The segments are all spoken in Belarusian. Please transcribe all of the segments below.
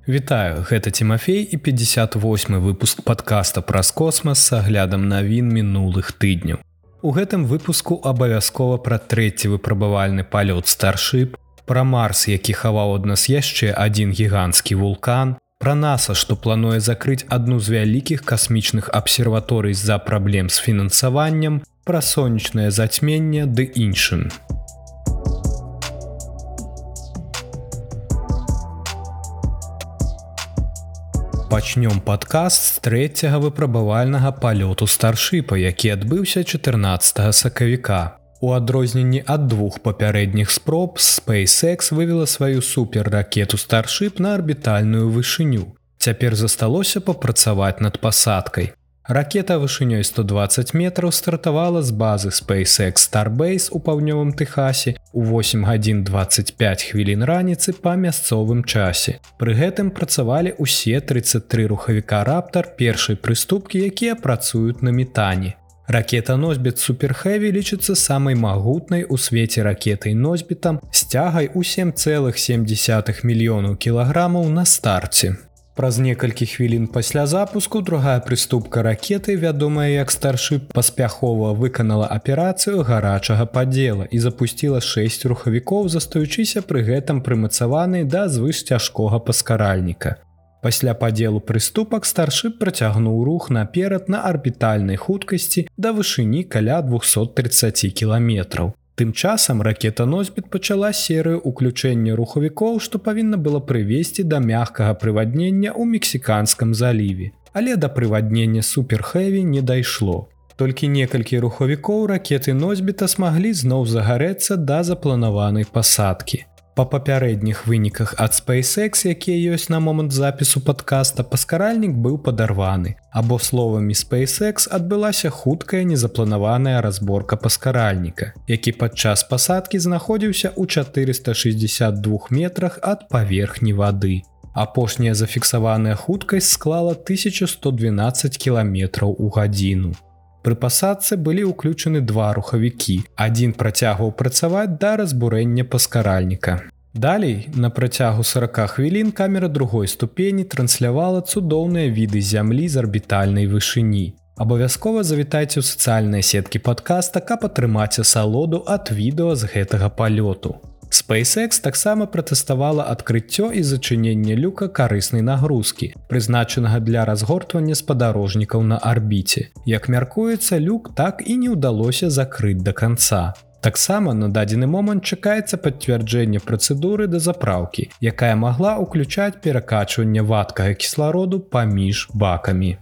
Вітаю, гэта Тимофей і 58-й выпуск падкаста праз космас з аглядам навін мінулых тыдняў. У гэтым выпуску абавязкова пра трэці выпрабавальны палёт Starship, пра Марс, які хаваў ад нас яшчэ адзін гіганцкі вулкан, пра NASA, што плануе закрыць адну з вялікіх касмічных абсерваторый з-за праблем з фінансаваннем, пра сонечнае зацьменне ды іншым. Пачнём падкаст з трэцяга выпрабавальнага палёту Старшыпа, які адбыўся 14 сакавіка. У адрозненні ад двух папярэдніх спроб, SpaceX вывела сваю суперракету Starship на арбітальную вышыню. Цяпер засталося папрацаваць над пасадкай. Ракета вышынёй 120 метраў стартавала з базы SpaceX Starbase у паўднёвым Тэхасе у 8 гадзін 25 хвілін раніцы па мясцовым часе. Пры гэтым працавалі ўсе 33 рухавіка Raptor першай прыступкі, якія працуюць на метане. Ракета-носьбіт Super Heavy лічыцца самай магутнай у свеце ракетай-носьбітам з цягай у 7,7 мільёнаў кілаграмаў на старце. Праз некалькі хвілін пасля запуску другая прыступка ракеты, вядомая як Starship, паспяхова выканала аперацыю гарачага падзела і запусціла 6 рухавікоў, застаючыся пры гэтым прымацаванай да звышцяжкога паскаральніка. Пасля падзелу прыступак Starship працягнуў рух наперад на арбітальнай хуткасці да вышыні каля 230 кіламетраў. Тым часам ракета-носьбіт пачала серыю ўключэння рухавікоў, што павінна было прывесці да мяккага прываднення ў Мексіканскім заліве. Але да прываднення Super Heavy не дайшло. Толькі некалькі рухавікоў ракеты-носьбіта смаглі зноў загарэцца да запланаванай пасадкі. Па папярэдніх выніках ад SpaceX, якія ёсць на момант запісу падкаста, паскаральнік быў падарваны, або словамі SpaceX адбылася хуткая незапланаваная разборка паскаральніка, які падчас пасадкі знаходзіўся ў 462 метрах ад паверхні вады. Апошняя зафіксаваная хуткасць склала 1112 кіламетраў у гадзіну. Пры пасадцы былі ўключаны два рухавікі. Адзін працягваў працаваць да разбурэння паскаральніка. Далей, на працягу 40 хвілін камера другой ступені транслявала цудоўныя віды зямлі з арбітальнай вышыні. Абавязкова завітайце ў сацыяльныя сеткі падкаста, каб атрымаць асалоду ад відэа з гэтага палёту. SpaceX таксама пратэставала адкрыццё і зачыненне люка карыснай нагрузкі, прызначанага для разгортвання спадарожнікаў на арбіце. Як мяркуецца, люк так і не ўдалося закрыць да канца. Таксама на дадзены момант чакаецца пацвярджэнне працэдуры дазапраўкі, якая магла ўключаць перакачванне вадкага кіслароду паміж бакамі.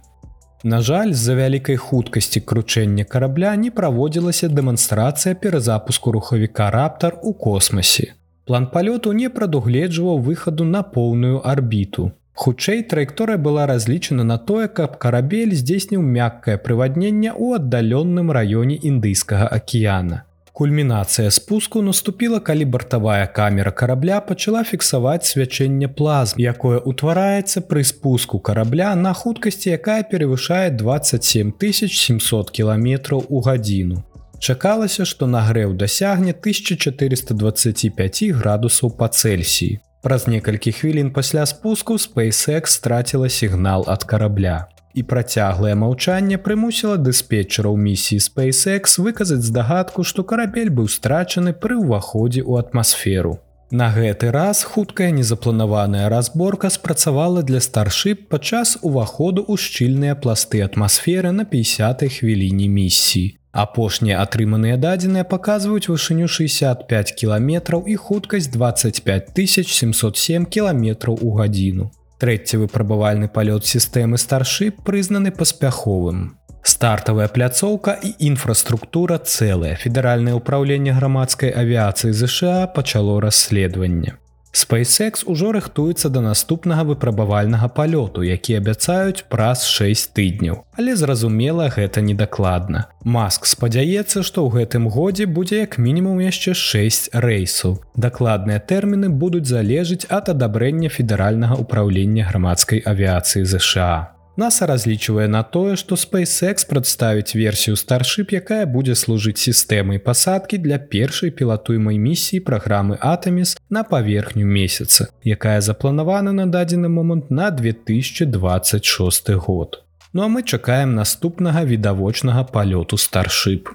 На жаль, з-за вялікай хуткасці кручэння карабля не праводзілася дэманстрацыя перазапуску рухавіка Raptor у космасе. План палёту не прадугледжваў выхаду на поўную арбіту. Хутчэй, траекторыя была разлічана на тое, каб карабель здзейсніў мяккае прывадненне ў аддаленным раёне Індыйскага акіяна. Кульмінацыя спуску наступіла, калі бартавая камера карабля пачала фіксаваць свячэнне плазм, якое ўтвараецца пры спуску карабля на хуткасці, якая перавышае 27 700 кіламетраў у гадзіну. Чакалася, што нагрэў дасягне 1425 градусаў па Цельсіі. Праз некалькі хвілін пасля спуску SpaceX страціла сігнал ад карабля. І працяглае маўчанне прымусіла дыспетчараў місіі SpaceX выказаць здагадку, што карабель быў страчаны пры ўваходзе ў атмасферу. На гэты раз хуткая незапланаваная разборка спрацавала для Starship падчас уваходу ў шчыльныя пласты атмасферы на 50-й хвіліне місіі. Апошнія атрыманыя дадзеныя паказваюць вышыню 65 кіламетраў і хуткасць 25 707 кіламетраў у гадзіну. Трэці выпрабавальны палёт сістэмы Starship прызнаны паспяховым. Стартавая пляцоўка і інфраструктура цэлая. Федэральнае ўпраўленне грамадскай авіяцыі ЗША пачало расследаванне. SpaceX ужо рыхтуецца да наступнага выпрабавальнага палёту, які абяцаюць праз 6 тыдняў. Але зразумела, гэта недакладна. Маск спадзяецца, што ў гэтым годзе будзе як мінімум яшчэ 6 рэйсаў. Дакладныя тэрміны будуць залежыць ад адабрэння Федэральнага ўпраўлення грамадскай авіяцыі ЗША. NASA разлічвае на тое, што SpaceX прадставіць версію Starship, якая будзе служыць сістэмай пасадкі для першай пілатуемай місіі праграмы Artemis на паверхню месяца, якая запланавана на дадзены момант на 2026 год. Ну а мы чакаем наступнага відавочнага палёту Starship.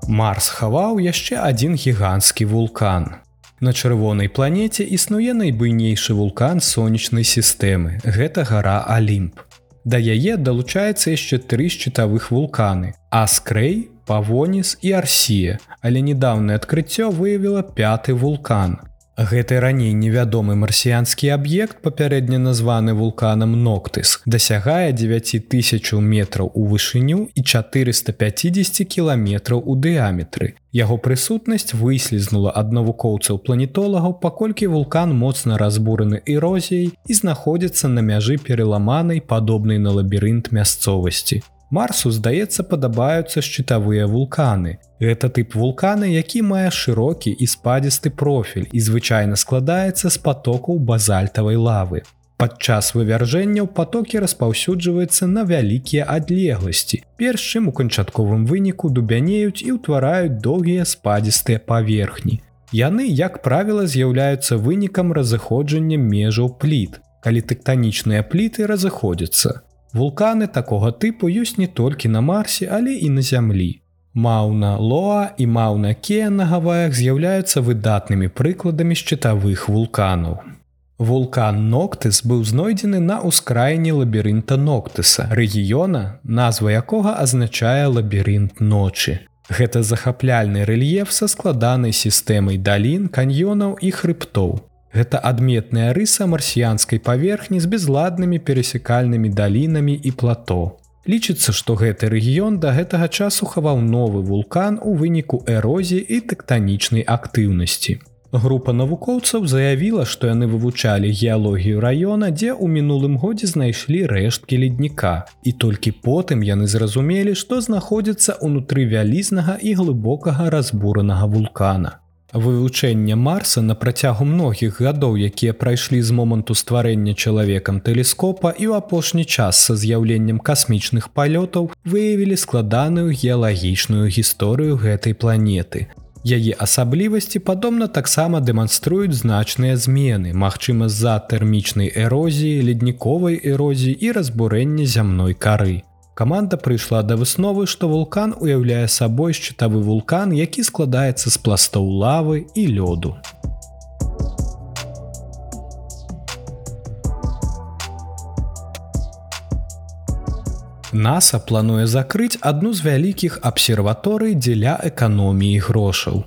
Марс хаваў яшчэ адзін гіганцкі вулкан. На чырвонай планеце існуе найбуйнейшы вулкан сонечнай сістэмы. Гэта гара Алімп. Да яе далучаецца яшчэ 3 шчытавых вулканы – Аскрэй, Павоніс і Арсія, але недаўнае адкрыццё выявіла 5-ты вулкан. Гэты раней невядомы марсіянскі аб'ект, папярэдне названы вулканам Ноктыс, дасягае 9000 метраў у вышыню і 450 кіламетраў у дыяметры. Яго прысутнасць выслізнула ад навукоўцаў-планетолагаў, паколькі вулкан моцна разбураны эрозіяй і знаходзіцца на мяжы пераламанай, падобнай на лабірынт мясцовасці. Марсу, здаецца, падабаюцца шчытавыя вулканы. Гэта тып вулкана, які мае шырокі і спадзісты профіль і звычайна складаецца з патокаў базальтавай лавы. Падчас вывяржэнняў патокі распаўсюджваюцца на вялікія адлегласці, перш чым у канчатковым выніку дубянеюць і ўтвараюць доўгія спадзістыя паверхні. Яны, як правіла, з'яўляюцца вынікам разыходжання межаў пліт, калі тэктанічныя пліты разыходзяцца. Вулканы такога тыпу ёсць не толькі на Марсе, але і на Зямлі. Маўна-Лоа і Маўна-Кеа на Гаваях з'яўляюцца выдатнымі прыкладамі шчытавых вулканаў. Вулкан Ноктыс быў знойдзены на ўскраіне лабірынта Ноктыса, рэгіёна, назва якога азначае лабірынт ночы. Гэта захапляльны рэльеф са складанай сістэмай далін, каньёнаў і хрыбтоў. Гэта адметная рыса марсіянскай паверхні з безладнымі перасекальнымі далінамі і плато. Лічыцца, што гэты рэгіён да гэтага часу хаваў новы вулкан у выніку эрозіі і тэктанічнай актыўнасці. Група навукоўцаў заявіла, што яны вывучалі геалогію раёна, дзе ў мінулым годзе знайшлі рэшткі ледніка, і толькі потым яны зразумелі, што знаходзіцца ўнутры вялізнага і глыбокага разбуранага вулкана. Вывучэнне Марса на працягу многіх гадоў, якія прайшлі з моманту стварэння чалавекам тэлескопа і ў апошні час са з'яўленнем касмічных палётаў, выявілі складаную геалагічную гісторыю гэтай планеты. Яе асаблівасці, падобна, таксама дэманструюць значныя змены, магчыма з-за тэрмічнай эрозіі, ледніковай эрозіі і разбурэння зямной кары. Каманда прыйшла да высновы, што вулкан уяўляе сабой шчытавы вулкан, які складаецца з пластоў лавы і лёду. NASA плануе закрыць адну з вялікіх абсерваторый дзеля эканоміі грошаў.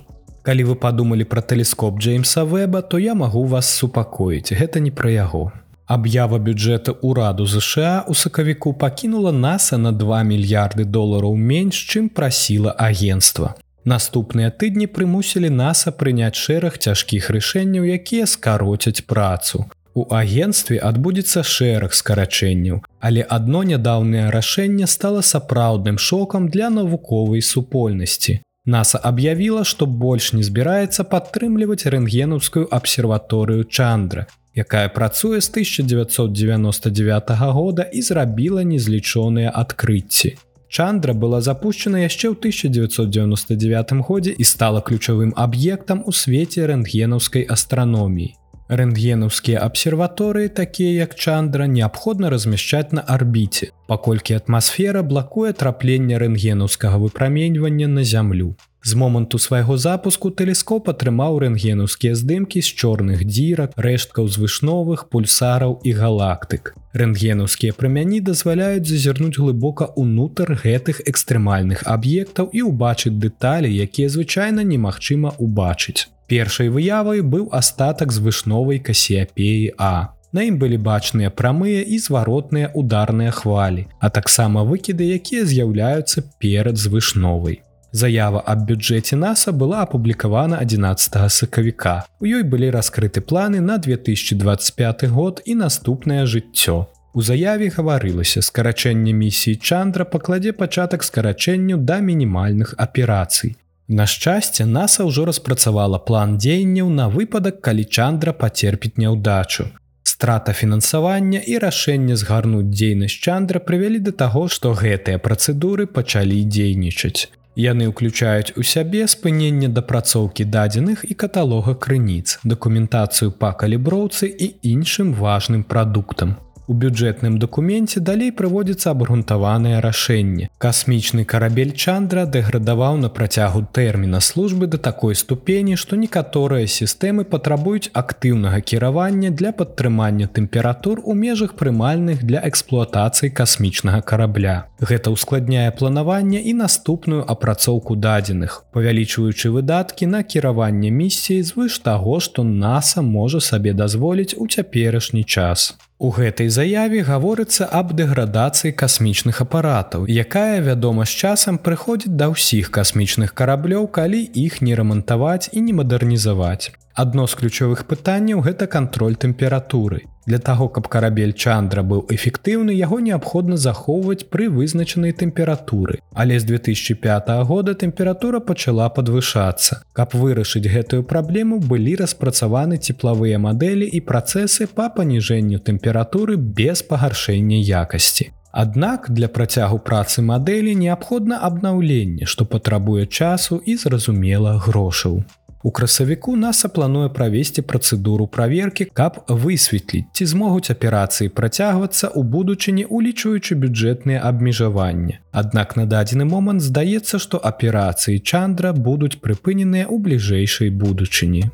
Калі вы падумалі пра тэлескоп Джеймса Веба, то я магу вас супакоіць, гэта не пра яго. Аб'ява бюджэта ўраду ЗША ў сакавіку пакінула NASA на $2 мільярды менш, чым прасіла агенцтва. Наступныя тыдні прымусілі NASA прыняць шэраг цяжкіх рашэнняў, якія скароцяць працу. У агенцтве адбудзецца шэраг скарачэнняў, але адно нядаўнае рашэнне стала сапраўдным шокам для навуковай супольнасці. NASA аб'явіла, што больш не збіраецца падтрымліваць рэнтгенаўскую абсерваторыю Чандра, якая працуе з 1999 года і зрабіла незлічоныя адкрыцці. Чандра была запущена яшчэ ў 1999 годзе і стала ключавым аб'ектам у свеце рэнтгенаўскай астраноміі. Рэнтгенаўскія абсерваторыі, такія як Чандра, неабходна размяшчаць на арбіце, паколькі атмасфера блакуе трапленне рэнтгенаўскага выпраменьвання на Зямлю. З моманту свайго запуску тэлескоп атрымаў рэнтгенаўскія здымкі з чорных дзірак, рэшткаў звышновых, пульсараў і галактык. Рэнтгенаўскія прамяні дазваляюць зазірнуць глыбока ўнутр гэтых экстрэмальных аб'ектаў і ўбачыць дэталі, якія звычайна немагчыма ўбачыць. Першай выявай быў астатак звышновай Касіяпеі А. На ім былі бачныя прамыя і зваротныя ударныя хвалі, а таксама выкіды, якія з'яўляюцца перад звышновай. Заява аб бюджэце NASA была апублікавана 11 сакавіка. У ёй былі раскрыты планы на 2025 год і наступнае жыццё. У заяве гаварылася, скарачэнне місіі Чандра пакладзе пачатак скарачэнню да мінімальных аперацый. На шчасце, НАСА ўжо распрацавала план дзеянняў на выпадак, калі Чандра пацерпіць няўдачу. Страта фінансавання і рашэнне згарнуць дзейнасць Чандра прывялі да таго, што гэтыя працэдуры пачалі дзейнічаць. Яны ўключаюць у сябе спыненне дапрацоўкі дадзеных і каталога крыніц, дакументацыю па каліброўцы і іншым важным прадуктам. У бюджэтным дакуменце далей прыводзіцца абгрунтаванае рашэнне. Касмічны карабель Чандра дэградаваў на працягу тэрміна службы да такой ступені, што некаторыя сістэмы патрабуюць актыўнага кіравання для падтрымання тэмператур у межах прымальных для эксплуатацыі касмічнага карабля. Гэта ўскладняе планаванне і наступную апрацоўку дадзеных, павялічваючы выдаткі на кіраванне місіяй звыш таго, што НАСА можа сабе дазволіць у цяперашні час. У гэтай заяве гаворыцца аб дэградацыі касмічных апаратаў, якая, вядома, з часам прыходзіць да ўсіх касмічных караблёў, калі іх не рамантаваць і не мадэрнізаваць. Адно з ключовых пытанняў – гэта кантроль тэмпературы. Для таго, каб карабель Чандра быў эфектыўны, яго неабходна захоўваць пры вызначанай тэмпературы. Але з 2005 года тэмпература пачала падвышацца. Каб вырашыць гэтую праблему, былі распрацаваны цеплавыя мадэлі і працэсы па паніжэнню тэмпературы без пагаршэння якасці. Аднак для працягу працы мадэлі неабходна абнаўленне, што патрабуе часу і, зразумела, грошаў. У красавіку НАСА плануе правесці працэдуру праверкі, каб высветліць, ці змогуць аперацыі працягвацца ў будучыні, улічваючы бюджэтныя абмежаванні. Аднак на дадзены момант здаецца, што аперацыі Чандра будуць прыпыненыя ў бліжэйшай будучыні.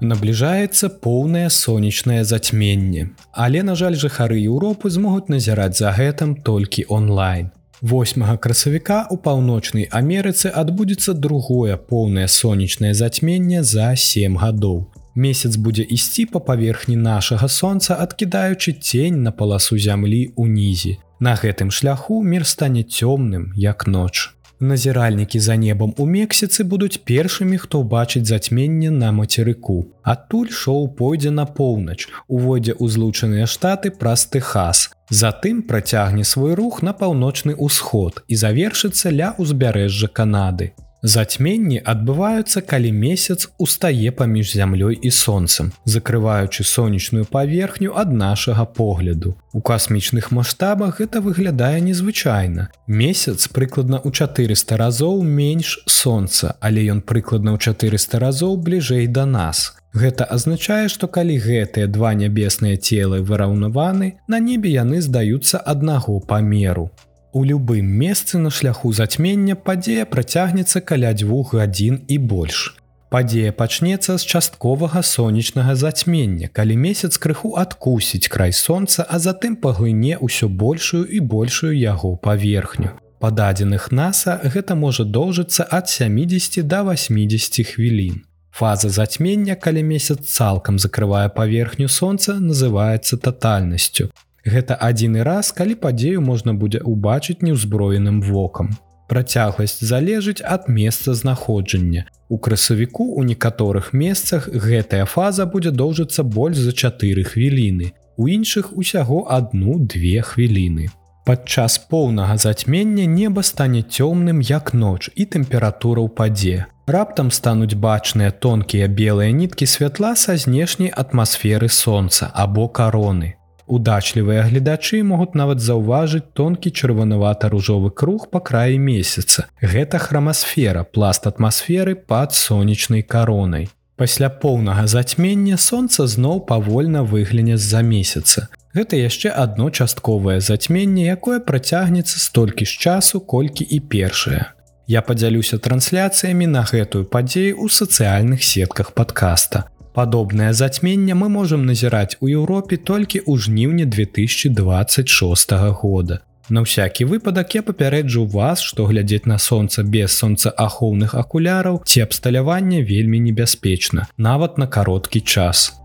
Набліжаецца поўнае сонечнае зацьменне. Але, на жаль, жыхары Еўропы змогуць назіраць за гэтым толькі онлайн. 8 красавіка ў Паўночнай Амерыцы адбудзецца другое поўнае сонечнае зацьменне за 7 гадоў. Месяц будзе ісці па паверхні нашага сонца, адкідаючы цень на паласу зямлі ўнізе. На гэтым шляху мір стане цёмным, як ноч. Назіральнікі за небам у Мексіцы будуць першымі, хто ўбачыць зацьменне на мацерыку. Адтуль шоу пойдзе на поўнач, увойдзе ў Злучаныя Штаты праз Тэхас. Затым працягне свой рух на паўночны ўсход і завершыцца ля ўзбярэжжа Канады. Зацьменні адбываюцца, калі месяц устае паміж зямлёй і сонцам, закрываючы сонечную паверхню ад нашага погляду. У касмічных маштабах гэта выглядае незвычайна. Месяц прыкладна ў 400 разоў менш сонца, але ён прыкладна ў 400 разоў бліжэй да нас. Гэта азначае, што калі гэтыя два нябесныя целы выраўнаваны, на небе яны здаюцца аднаго памеру. У любым месцы на шляху зацьмення падзея працягнецца каля 2 гадзін і больш. Падзея пачнецца з частковага сонечнага зацьмення, калі месяц крыху адкусіць край сонца, а затым паглыне ўсё большую і большую яго паверхню. Па дадзеных НАСА гэта можа доўжыцца ад 70 да 80 хвілін. Фаза зацьмення, калі месяц цалкам закрывае паверхню сонца, называецца татальнасцю. Гэта адзіны раз, калі падзею можна будзе ўбачыць неўзброеным вокам. Працягласць залежыць ад месца знаходжання. У красавіку ў некаторых месцах гэтая фаза будзе доўжыцца больш за 4 хвіліны, у іншых усяго 1-2 хвіліны. Падчас поўнага зацьмення неба стане цёмным, як ноч, і тэмпература ўпадзе. Раптам стануць бачныя тонкія белыя ніткі святла са знешняй атмасферы сонца або кароны. Удачлівыя гледачы могуць нават заўважыць тонкі чырванавата-ружовы круг па краі месяца. Гэта храмасфера, пласт атмасферы пад сонечнай каронай. Пасля поўнага зацьмення сонца зноў павольна выгляне з-за месяца. Гэта яшчэ адно частковае зацьменне, якое працягнецца столькі ж часу, колькі і першае. Я падзялюся трансляцыямі на гэтую падзею ў сацыяльных сетках падкаста. Падобнае зацьменне мы можам назіраць у Еўропе толькі ў жніўні 2026 года. На ўсякі выпадак я папярэджу вас, што глядзець на сонца без сонцаахоўных акуляраў ці абсталявання вельмі небяспечна, нават на кароткі час.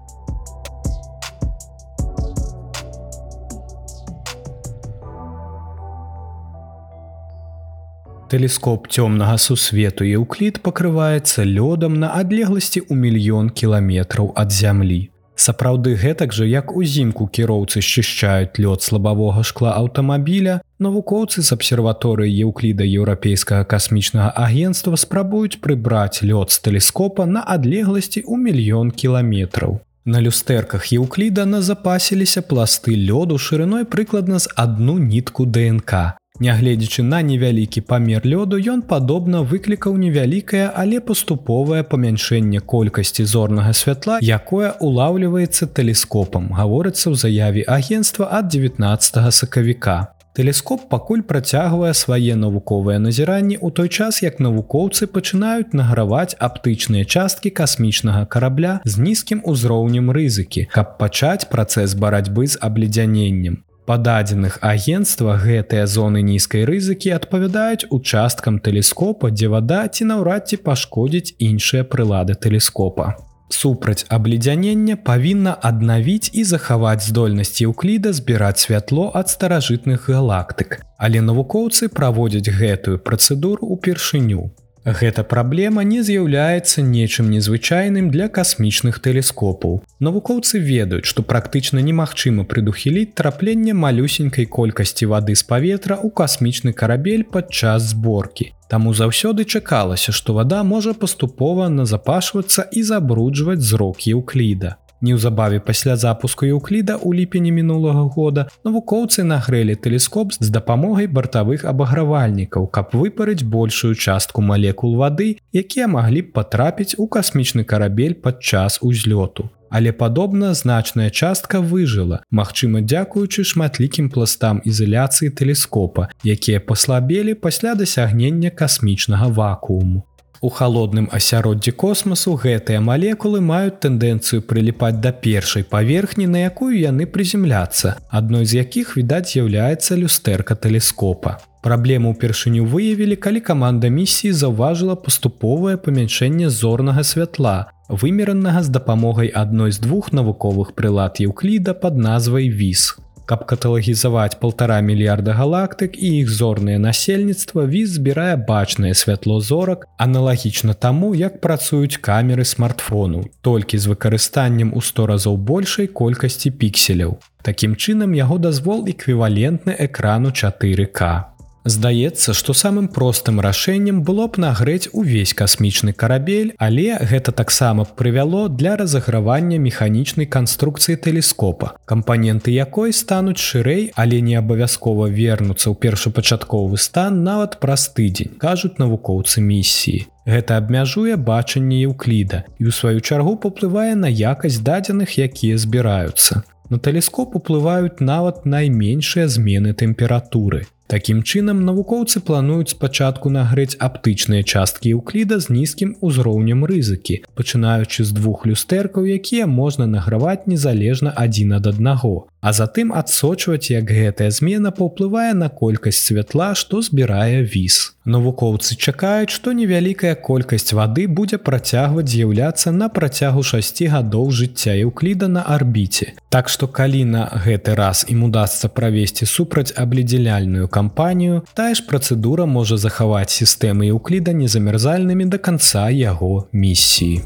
Тэлескоп цёмнага сусвету Еўклід пакрываецца лёдам на адлегласці ў 1 000 000 кіламетраў ад Зямлі. Сапраўды гэтак жа, як узімку кіроўцы счышчаюць лёд з лабавога шкла аўтамабіля, навукоўцы з абсерваторыі Еўкліда Еўрапейскага касмічнага агенцтва спрабуюць прыбраць лёд з тэлескопа на адлегласці ў 1 000 000 кіламетраў. На люстэрках Еўкліда назапасіліся пласты лёду шырыной прыкладна з 1 нітку ДНК. Нягледзячы на невялікі памер лёду, ён падобна выклікаў невялікае, але паступовае памяншэнне колькасці зорнага святла, якое улаўліваецца тэлескопам, гаворыцца ў заяве агенцтва ад 19 сакавіка. Тэлескоп пакуль працягвае свае навуковыя назіранні ў той час, як навукоўцы пачынаюць награваць аптычныя часткі касмічнага карабля з нізкім узроўнем рызыкі, каб пачаць працэс барацьбы з абледзяненнем. Па дадзеных агенцтва, гэтыя зоны нізкай рызыкі адпавядаюць участкам тэлескопа, дзе вада ці наўрад ці пашкодзіць іншыя прылады тэлескопа. Супраць абледзянення павінна аднавіць і захаваць здольнасць Еўкліда збіраць святло ад старажытных галактык, але навукоўцы праводзяць гэтую працэдуру ўпершыню. Гэта праблема не з'яўляецца нечым незвычайным для касмічных тэлескопаў. Навукоўцы ведаюць, што практычна немагчыма прадухіліць трапленне малюсенькай колькасці вады з паветра ў касмічны карабель падчас зборкі. Таму заўсёды чакалася, што вада можа паступова назапашвацца і забруджваць зрок Еўкліда. Неўзабаве пасля запуску Еўкліда ў ліпені мінулага года навукоўцы нагрэлі тэлескоп з дапамогай бартавых абагравальнікаў, каб выпарыць большую частку малекул вады, якія маглі б патрапіць у касмічны карабель падчас узлёту. Але падобна значная частка выжыла, магчыма дзякуючы шматлікім пластам ізаляцыі тэлескопа, якія паслабелі пасля дасягнення касмічнага вакууму. У халодным асяроддзі космасу гэтыя малекулы маюць тэндэнцыю прыліпаць да першай паверхні, на якую яны прыземляцца, адной з якіх, відаць, з'яўляецца люстэрка тэлескопа. Праблему ўпершыню выявілі, калі каманда місіі заўважыла паступовае памяншэнне зорнага святла, вымеранага з дапамогай адной з 2 навуковых прылад Еўкліда пад назвай ВІС. Каб каталагізаваць 1,5 мільярда галактык і іх зорнае насельніцтва, ВІС збірае бачнае святло зорак, аналагічна таму, як працуюць камеры смартфону, толькі з выкарыстаннем у 100 разоў большай колькасці пікселяў. Такім чынам, яго дазвол эквівалентны экрану 4К. Здаецца, што самым простым рашэннем было б нагрэць увесь касмічны карабель, але гэта таксама прывяло для разагравання механічнай канструкцыі тэлескопа, кампаненты якой стануць шырэй, але не абавязкова вернуцца ў першапачатковы стан нават праз тыдзень, кажуць навукоўцы місіі. Гэта абмяжуе бачанне Еўкліда і ў сваю чаргу паўплывае на якасць дадзеных, якія збіраюцца. На тэлескоп уплываюць нават найменшыя змены тэмпературы. Такім чынам, навукоўцы плануюць спачатку нагрэць аптычныя часткі Еўкліда з нізкім узроўнем рызыкі, пачынаючы з 2 люстэркаў, якія можна награваць незалежна адзін ад аднаго, а затым адсочваць, як гэтая змена паўплывае на колькасць святла, што збірае ВІС. Навукоўцы чакаюць, што невялікая колькасць вады будзе працягваць з'яўляцца на працягу 6 гадоў жыцця Еўкліда на арбіце. Так што калі на гэты раз ім удасца правесці супрацьабледзяняльную кампанію, тая ж працэдура можа захаваць сістэмы Еўкліда незамярзальнымі да канца яго місіі.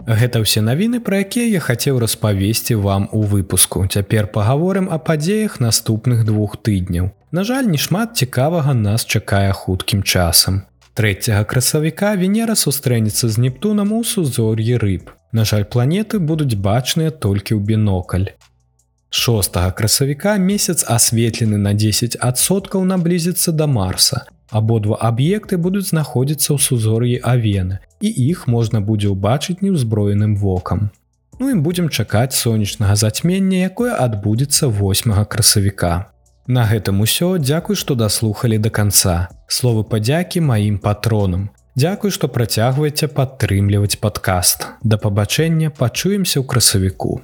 Гэта ўсе навіны, пра якія я хацеў распавесці вам у выпуску. Цяпер пагаворым о падзеях наступных 2 тыдняў. На жаль, нешмат цікавага нас чакае хуткім часам. 3 красавіка Венера сустрэнецца з Нептунам у сузор'і рыб. На жаль, планеты будуць бачныя толькі ў бінокль. 6 красавіка месяц асветлены на 10% наблізіцца да Марса. Абодва аб'екты будуць знаходзіцца ў сузор'і Авены, і іх можна будзе ўбачыць неўзброеным вокам. Ну і будзем чакаць сонечнага зацьмення, якое адбудзецца 8 красавіка. На гэтым усё, дзякуй, што даслухалі да канца. Словы падзякі маім патронам. Дзякуй, што працягваеце падтрымліваць падкаст. Да пабачэння, пачуемся ў красавіку.